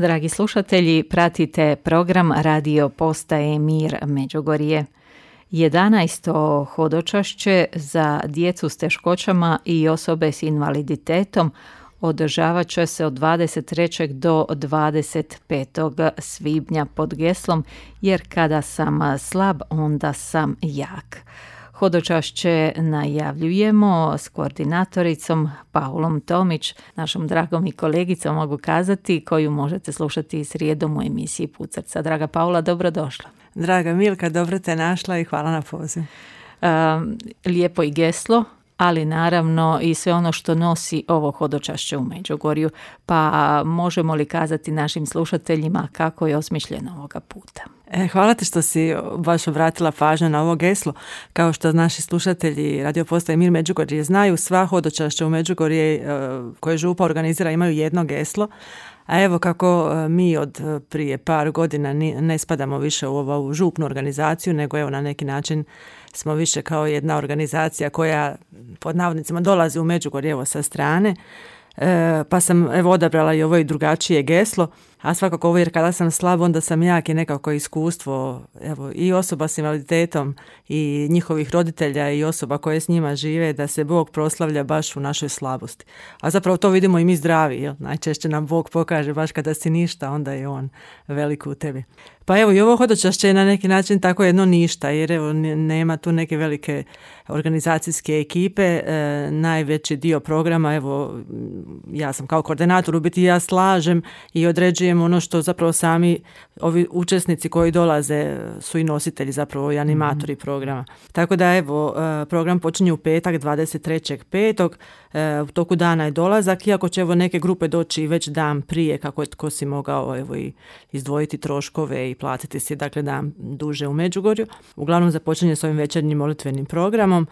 Dragi slušatelji, pratite program Radio Postaje Mir Međugorje. 11. hodočašće za djecu s teškoćama i osobe s invaliditetom održavat će se od 23. do 25. svibnja pod geslom Jer kada sam slab, onda sam jak. Hodočašće najavljujemo s koordinatoricom Paulom Tomić, našom dragom i kolegicom, mogu kazati, koju možete slušati srijedom u emisiji Put srca. Draga Paula, dobrodošla. Draga Milka, dobro te našla i hvala na pozivu. Lijepo i geslo, ali naravno i sve ono što nosi ovo hodočašće u Međugorju. Pa možemo li kazati našim slušateljima kako je osmišljeno ovoga puta? Hvala ti što si baš obratila pažnju na ovo geslo. Kao što naši slušatelji Radio Postaje Mir Međugorje znaju, sva hodočašća u Međugorje koje župa organizira imaju jedno geslo. A evo kako mi od prije par godina ne spadamo više u ovu župnu organizaciju, nego evo na neki način smo više kao jedna organizacija koja pod navodnicima dolazi u Međugorje evo sa strane. Pa sam evo odabrala i ovo i drugačije geslo, a svakako ovo jer kada sam slab onda sam jak i nekako iskustvo evo i osoba s invaliditetom i njihovih roditelja i osoba koje s njima žive da se Bog proslavlja baš u našoj slabosti. A zapravo to vidimo i mi zdravi, jel? Najčešće nam Bog pokaže baš kada si ništa, onda je On velik u tebi. Pa evo i ovo hodočašće je na neki način tako jedno ništa, jer evo nema tu neke velike organizacijske ekipe, najveći dio programa, evo ja sam kao koordinator, u biti ja slažem i određujem ono što zapravo sami ovi učesnici koji dolaze su i nositelji zapravo i animatori programa. Tako da evo program počinje u petak 23.5. U toku dana je dolazak, iako će evo neke grupe doći već dan prije kako je tko si mogao evo i izdvojiti troškove i platiti si dakle dan duže u Međugorju. Uglavnom započinje s ovim večernjim molitvenim programom.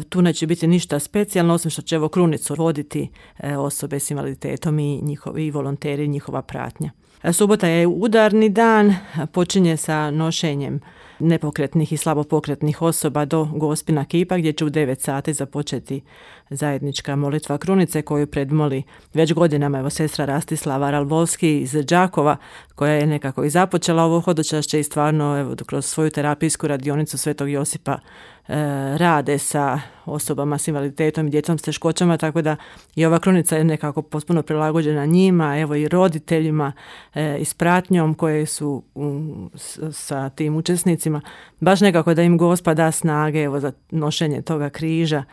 Tu neće biti ništa specijalno, osim što će evo krunicu voditi osobe s invaliditetom i volonteri, njihova pratnja. Subota je udarni dan, počinje sa nošenjem nepokretnih i slabopokretnih osoba do Gospina kipa gdje će u 9 sati započeti zajednička molitva krunice koju predmoli već godinama evo sestra Rastislava Ralbovski iz Đakova koja je nekako i započela ovo hodočašće i stvarno evo kroz svoju terapijsku radionicu Svetog Josipa rade sa osobama s invaliditetom i djecom s teškoćama, tako da i ova krunica je nekako potpuno prilagođena njima, evo i roditeljima i s pratnjom koje su sa tim učesnicima, baš nekako da im Gospod da snage evo za nošenje toga križa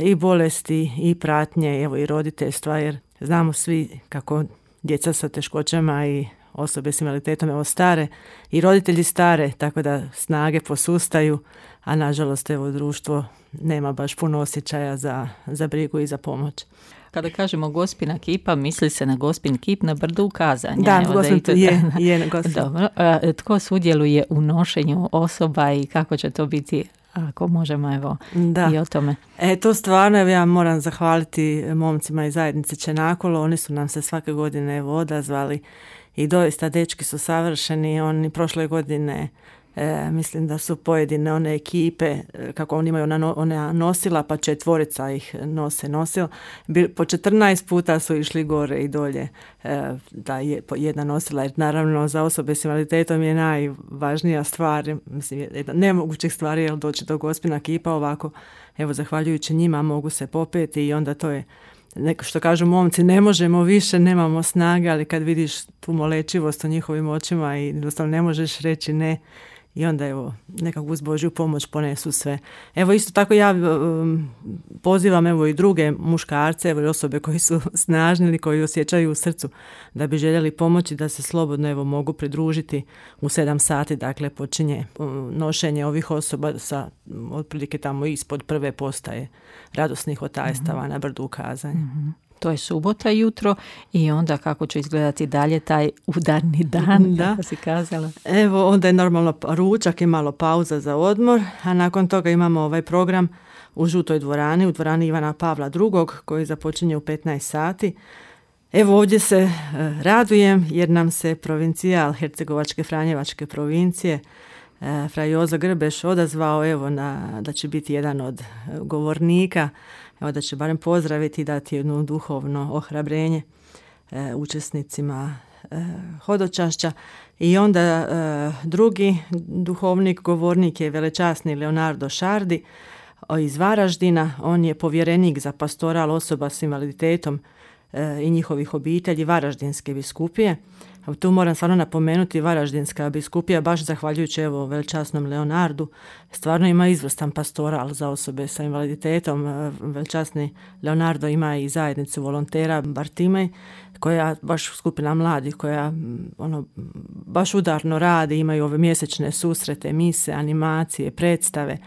i bolesti i pratnje, evo i roditeljstva, jer znamo svi kako djeca sa teškoćama i osobe s invaliditetom evo stare i roditelji stare, tako da snage posustaju, a nažalost evo društvo nema baš puno osjećaja za brigu i za pomoć. Kada kažemo Gospina kipa, misli se na Gospin kip na brdu u Kazanju. Da, je na Gospin. Dobro. Tko sudjeluje u nošenju osoba i kako će to biti, ako možemo evo i o tome? To stvarno ja moram zahvaliti momcima iz zajednice Čenakolo, oni su nam se svake godine evo odazvali i doista dečki su savršeni, oni prošle godine mislim da su pojedine one ekipe, kako oni imaju ona nosila, pa 4 ih nosila. Po 14 puta su išli gore i dolje da je jedna nosila, jer naravno za osobe s invaliditetom je najvažnija stvar, mislim, jedna nemogućih stvari je doći do Gospina kipa ovako, evo zahvaljujući njima mogu se popeti i onda to je neko što kažu momci, ne možemo više, nemamo snage, ali kad vidiš tu molečivost u njihovim očima i jednostavno ne možeš reći ne, i onda evo nekako uz Božju pomoć ponesu sve. Evo isto tako ja pozivam evo i druge muškarce, evo i osobe koji su snažni ili koji osjećaju u srcu da bi željeli pomoći da se slobodno evo mogu pridružiti u 7 sati, dakle počinje nošenje ovih osoba sa otprilike tamo ispod prve postaje radosnih otajstava na brdu u Kazanju. To je subota jutro i onda kako će izgledati dalje taj udarni dan, kako si kazala? Evo, onda je normalno ručak i malo pauza za odmor, a nakon toga imamo ovaj program u Žutoj dvorani, u dvorani Ivana Pavla II. Koji započinje u 15 sati. Evo ovdje se radujem jer nam se provincijal Hercegovačke Franjevačke provincije fra Jozo Grbeš odazvao evo da će biti jedan od govornika, evo da će barem pozdraviti i dati jedno duhovno ohrabrenje učesnicima hodočašća. I onda drugi duhovnik, govornik je velečasni Leonardo Šardi iz Varaždina. On je povjerenik za pastoral osoba s invaliditetom i njihovih obitelji Varaždinske biskupije. Tu moram stvarno napomenuti, Varaždinska biskupija, baš zahvaljujući velečasnom Leonardu, stvarno ima izvrstan pastoral za osobe sa invaliditetom. Velečasni Leonardo ima i zajednicu volontera Bartimej, koja baš skupina mladih, koja baš udarno radi, imaju ove mjesečne susrete, mise, animacije, predstave.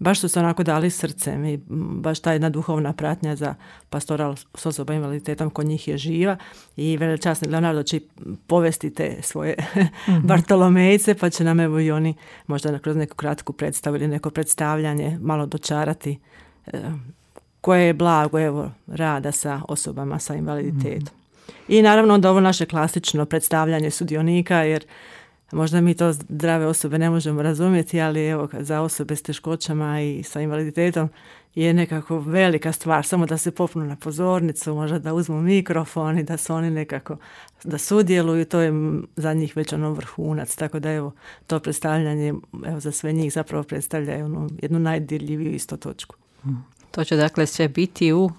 Baš su se onako dali srcem i baš ta jedna duhovna pratnja za pastoral s osoba invaliditetom kod njih je živa i velečasni Leonardo će povesti te svoje Bartolomejce, pa će nam evo i oni možda kroz neku kratku predstavu ili neko predstavljanje malo dočarati koje je blago rada sa osobama sa invaliditetom. I naravno onda ovo naše klasično predstavljanje sudionika, jer možda mi to zdrave osobe ne možemo razumjeti, ali evo za osobe s teškoćama i sa invaliditetom je nekako velika stvar, samo da se popnu na pozornicu, možda da uzmu mikrofon i da su oni nekako, da sudjeluju, to je za njih već vrhunac, tako da evo to predstavljanje za sve njih zapravo predstavlja jednu najdirljiviju isto točku. To će dakle sve biti u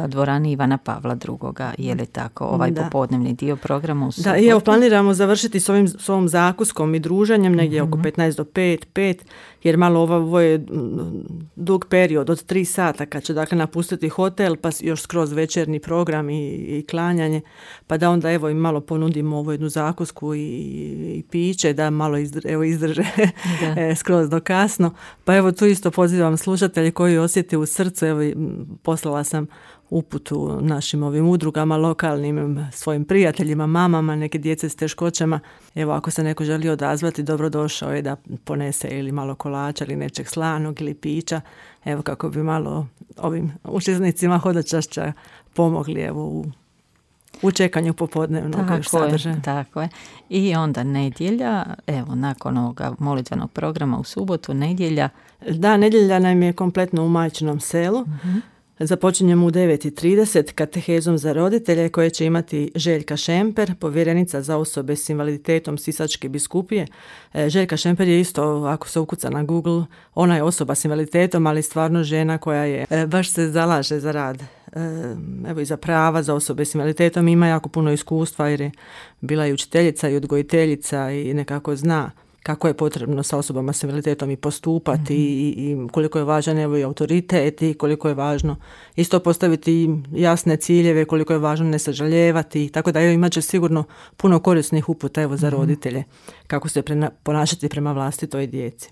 dvorani Ivana Pavla II. Je li tako popodnevni dio programa u subotu? Da, i evo planiramo završiti s ovom zakuskom i druženjem negdje oko 15 do 5, jer malo ovo je dug period od 3 sata kad će dakle napustiti hotel, pa još skroz večernji program i klanjanje, pa da onda evo im malo ponudimo ovu jednu zakusku i piće, da malo izdrže skroz do kasno. Pa evo tu isto pozivam slušatelje koji osjete u srcu, evo poslala sam uputu našim ovim udrugama, lokalnim svojim prijateljima, mamama, neke djece s teškoćama. Evo ako se neko želi odazvati, dobrodošao je da ponese ili malo kolača ili nečeg slanog ili pića, evo kako bi malo ovim učesnicima hodočašća pomogli evo u čekanju popodnevnog sadržaja. Tako je. I onda nedjelja, evo nakon ovoga molitvenog programa u subotu, nedjelja. Da, nedjelja nam je kompletno u Majčinom selu. Započinjemo u 9:30 katehezom za roditelje koje će imati Željka Šemper, povjerenica za osobe s invaliditetom Sisačke biskupije. Željka Šemper je isto, ako se ukuca na Google, ona je osoba s invaliditetom, ali stvarno žena koja je baš se zalaže za rad. Evo i za prava za osobe s invaliditetom, ima jako puno iskustva jer je bila i učiteljica i odgojiteljica i nekako zna kako je potrebno sa osobama s invaliditetom i postupati i koliko je važan evo i autoritet i koliko je važno isto postaviti jasne ciljeve, koliko je važno ne sažaljevati, tako da imat će sigurno puno korisnih uputa evo za roditelje kako se ponašati prema vlastitoj djeci.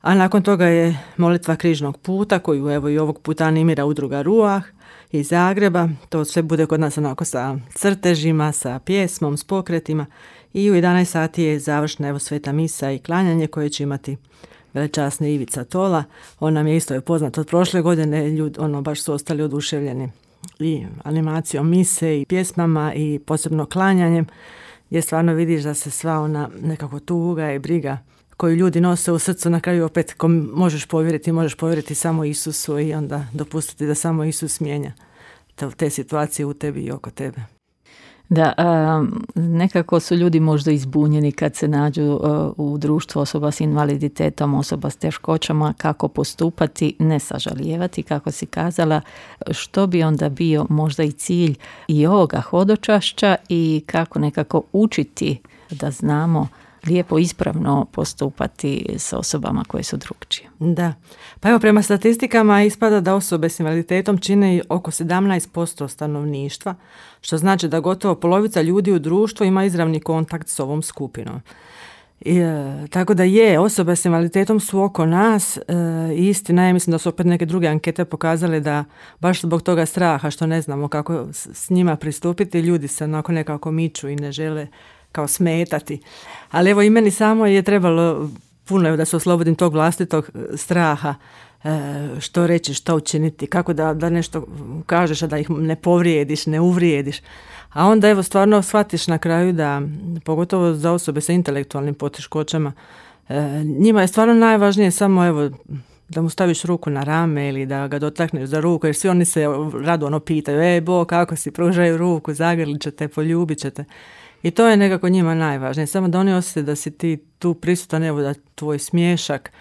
A nakon toga je molitva križnog puta koju evo i ovog puta animira udruga Ruah iz Zagreba. To sve bude kod nas onako sa crtežima, sa pjesmom, s pokretima. I u 11 sati je završna evo sveta misa i klanjanje koje će imati velečasni Ivica Tola. On nam je isto poznat od prošle godine, ljudi baš su ostali oduševljeni i animacijom mise i pjesmama i posebno klanjanjem, gdje stvarno vidiš da se sva ona nekako tuga i briga koju ljudi nose u srcu na kraju opet možeš povjeriti samo Isusu i onda dopustiti da samo Isus mijenja te situacije u tebi i oko tebe. Da, nekako su ljudi možda izbunjeni kad se nađu u društvu osoba s invaliditetom, osoba s teškoćama, kako postupati, ne sažalijevati, kako si kazala, što bi onda bio možda i cilj i ovoga hodočašća i kako nekako učiti da znamo lijepo ispravno postupati s osobama koje su drukčije. Da, pa evo prema statistikama ispada da osobe s invaliditetom čine oko 17% stanovništva, što znači da gotovo polovica ljudi u društvu ima izravni kontakt s ovom skupinom. Tako da osobe s invaliditetom su oko nas, istina je, mislim da su opet neke druge ankete pokazale da baš zbog toga straha što ne znamo kako s njima pristupiti, ljudi se onako nekako miču i ne žele kao smetati. Ali evo i meni samo je trebalo puno da se oslobodim tog vlastitog straha, što reći, što učiniti, kako da nešto kažeš, a da ih ne povrijediš, ne uvrijediš. A onda evo stvarno shvatiš na kraju da, pogotovo za osobe sa intelektualnim poteškoćama, njima je stvarno najvažnije samo evo da mu staviš ruku na rame ili da ga dotakneš za ruku, jer svi oni se rado pitaju, Bo, kako si, pružaju ruku, zagrlit ćete, poljubit ćete. I to je nekako njima najvažnije. Samo da oni osjete da si ti tu prisutan, evo da tvoj smiješak,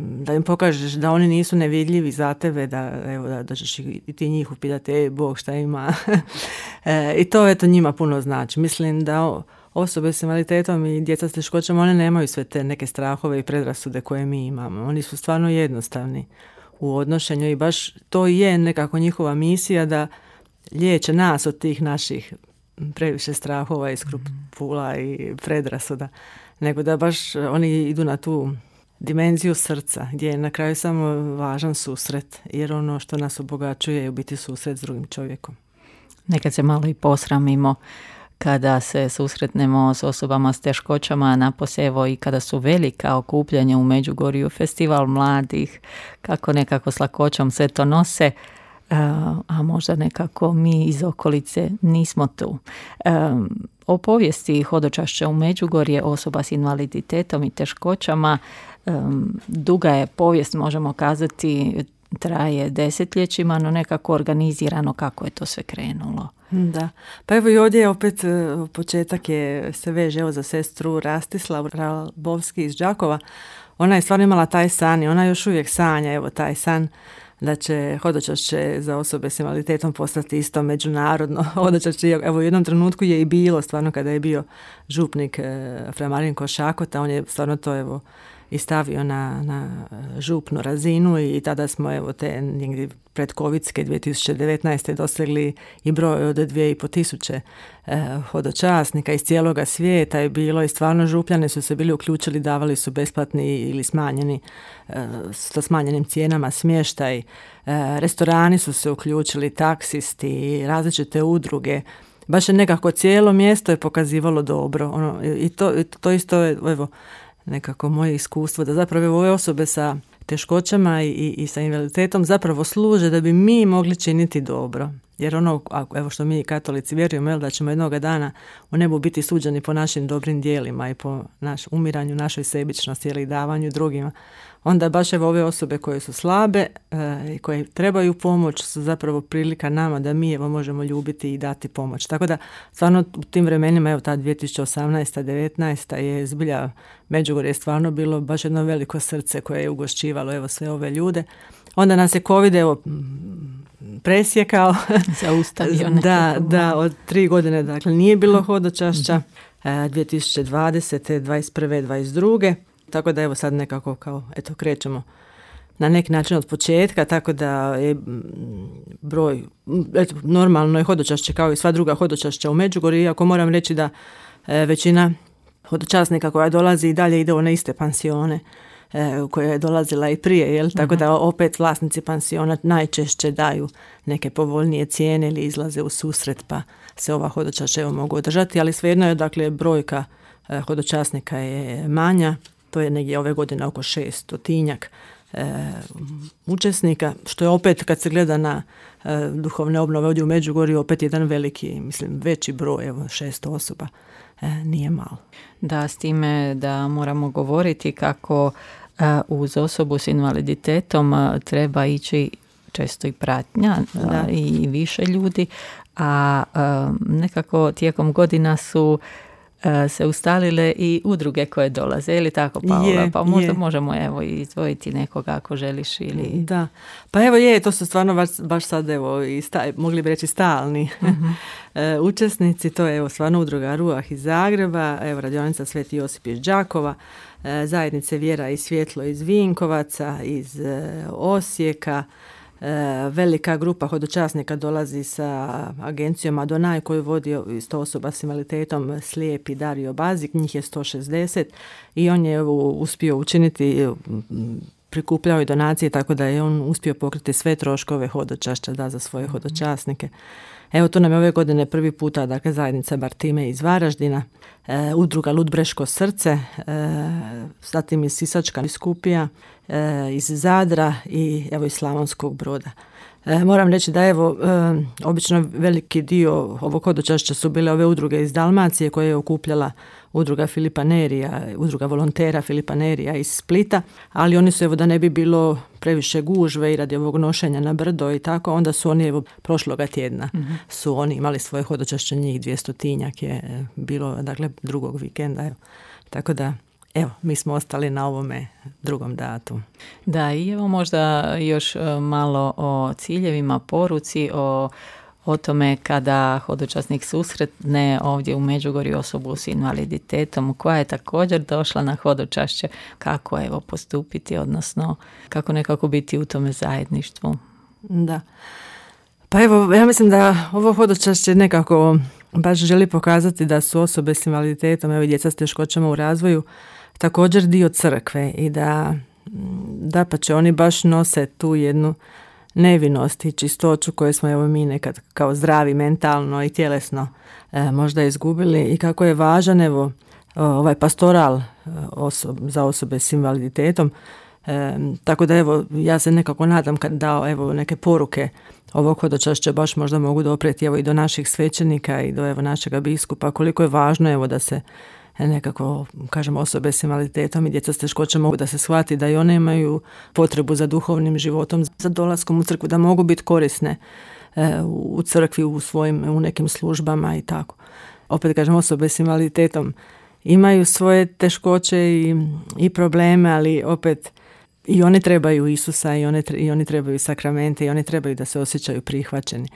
da im pokažeš da oni nisu nevidljivi za tebe, da ćeš i ti njih upitati, Bog šta ima. I to eto njima puno znači. Mislim da osobe s invaliditetom i djeca s teškoćama, one nemaju sve te neke strahove i predrasude koje mi imamo. Oni su stvarno jednostavni u odnošenju i baš to je nekako njihova misija da liječe nas od tih naših previše strahova i skrupula i predrasuda, nego da baš oni idu na tu dimenziju srca, gdje je na kraju samo važan susret, jer ono što nas obogaćuje je u biti susret s drugim čovjekom. Nekad se malo i posramimo kada se susretnemo s osobama s teškoćama, napose evo i kada su velika okupljanja u Međugorju, festival mladih, kako nekako s lakoćom sve to nose, a možda nekako mi iz okolice nismo tu. O povijesti hodočašća u Međugorje osoba s invaliditetom i teškoćama, duga je povijest, možemo kazati, traje desetljećima, no nekako organizirano kako je to sve krenulo. Da, pa evo i ovdje opet početak se veže evo za sestru Rastislavu Rabovski iz Đakova. Ona je stvarno imala taj san i ona još uvijek sanja evo taj san da će hodočašće za osobe s invaliditetom postati isto međunarodno hodočašće. Evo u jednom trenutku je i bilo, stvarno kada je bio župnik fra Marinko Šakota, on je stvarno to evo i stavio na župnu razinu i tada smo evo te negdje predkovidske 2019. dosegli i broj od 2.500 hodočasnika iz cijeloga svijeta je bilo i stvarno župljani su se bili uključili, davali su besplatni ili smanjeni sa smanjenim cijenama smještaj, restorani su se uključili, taksisti, različite udruge. Baš je nekako cijelo mjesto je pokazivalo dobro. I to isto je evo nekako moje iskustvo da zapravo ove osobe sa teškoćama i sa invaliditetom zapravo služe da bi mi mogli činiti dobro. Jer evo što mi katolici vjerujemo, da ćemo jednoga dana u nebu biti suđeni po našim dobrim djelima i po umiranju našoj sebičnosti ili davanju drugima. Onda baš evo ove osobe koje su slabe i koje trebaju pomoć su zapravo prilika nama da mi evo možemo ljubiti i dati pomoć. Tako da stvarno u tim vremenima, evo ta 2018. 19. je zbilja Međugorje je stvarno bilo baš jedno veliko srce koje je ugošćivalo evo sve ove ljude. Onda nas je COVID evo presjekao. Zaustavio da, od 3 godine dakle nije bilo hodočašća. 2020. 21. 22. Tako da evo sad nekako kao eto krećemo na neki način od početka, tako da je broj, eto, normalno je hodočašće kao i sva druga hodočašća u Međugorju, iako moram reći da većina hodočasnika koja dolazi i dalje ide u one iste pansione koja je dolazila i prije, jel? Tako da opet vlasnici pansiona najčešće daju neke povoljnije cijene ili izlaze u susret pa se ova hodočašća evo mogu održati, ali svejedno je dakle brojka hodočasnika je manja, to je negdje ove godine oko 600 učesnika, što je opet kad se gleda na duhovne obnove ovdje u Međugorju opet jedan veliki, mislim veći broj, evo 600 osoba, nije malo. Da, s time da moramo govoriti kako uz osobu s invaliditetom treba ići često i pratnja i više ljudi, a nekako tijekom godina su se ustalile i udruge koje dolaze, ili tako Paola? Pa možda možemo evo izdvojiti nekoga ako želiš ili... Da, pa evo to su stvarno baš sad evo mogli bi reći stalni učesnici, to je evo stvarno udruga Ruah iz Zagreba, evo radionica Sveti Josip iz Đakova, zajednice Vjera i svjetlo iz Vinkovaca, iz Osijeka, velika grupa hodočasnika dolazi sa agencijom Adonaj koju vodi isto osoba s invaliditetom slijepi Dario Bazik, njih je 160 i on je uspio učiniti, prikupljao i donacije tako da je on uspio pokriti sve troškove hodočašća za svoje hodočasnike. Evo tu nam je ove godine prvi puta dakle zajednica Bartime iz Varaždina, udruga Ludbreško srce, zatim iz Sisačka biskupija, iz Zadra i evo iz Slavonskog Broda. Moram reći da evo, obično veliki dio ovog hodočašća su bile ove udruge iz Dalmacije koje je okupljala udruga Filipa Nerija, udruga volontera Filipa Nerija iz Splita, ali oni su, evo, da ne bi bilo previše gužve i radi ovog nošenja na brdo i tako, onda su oni, evo, prošloga tjedna su oni imali svoje hodočašće, njih 200-tinjak je bilo, dakle, drugog vikenda, evo. Tako da, evo, mi smo ostali na ovome drugom datumu. Da, i evo možda još malo o ciljevima, poruci, o tome kada hodočasnik susretne ovdje u Međugorju osobu s invaliditetom koja je također došla na hodočašće, kako evo postupiti, odnosno kako nekako biti u tome zajedništvu. Da. Pa evo, ja mislim da ovo hodočašće nekako baš želi pokazati da su osobe s invaliditetom, evo i djeca s teškoćama u razvoju, također dio crkve i da pa će oni baš nose tu jednu nevinost i čistoću koju smo, evo, mi nekad kao zdravi mentalno i tjelesno možda izgubili, i kako je važan, evo, ovaj pastoral za osobe s invaliditetom. Tako da, evo, ja se nekako nadam da, evo, neke poruke ovog hodočašća baš možda mogu doprijeti, evo, i do naših svećenika i do, evo, našega biskupa, koliko je važno, evo, da se nekako, kažem, osobe s invaliditetom i djeca s teškoćama mogu da se shvati da i one imaju potrebu za duhovnim životom, za dolaskom u crkvu, da mogu biti korisne u crkvi, u nekim službama i tako. Opet kažem, osobe s invaliditetom imaju svoje teškoće i probleme, ali opet i oni trebaju Isusa i oni trebaju sakramente i oni trebaju da se osjećaju prihvaćeni.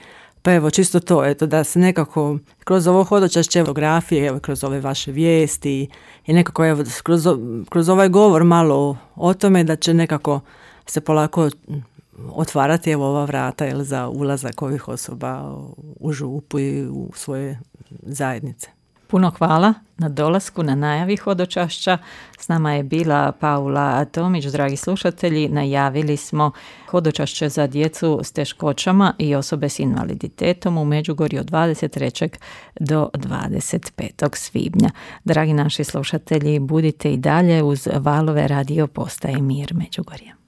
Pa evo, čisto to, eto, da se nekako kroz ovo hodočašće, fotografije, evo, kroz ove vaše vijesti i nekako, evo, kroz ovaj govor malo o tome, da će nekako se polako otvarati, evo, ova vrata, jel, za ulazak ovih osoba u župu i u svoje zajednice. Puno hvala na dolasku, na najavi hodočašća. S nama je bila Paula Tomić. Dragi slušatelji, najavili smo hodočašće za djecu s teškoćama i osobe s invaliditetom u Međugorju od 23. do 25. svibnja. Dragi naši slušatelji, budite i dalje uz valove radio postaje Mir Međugorje.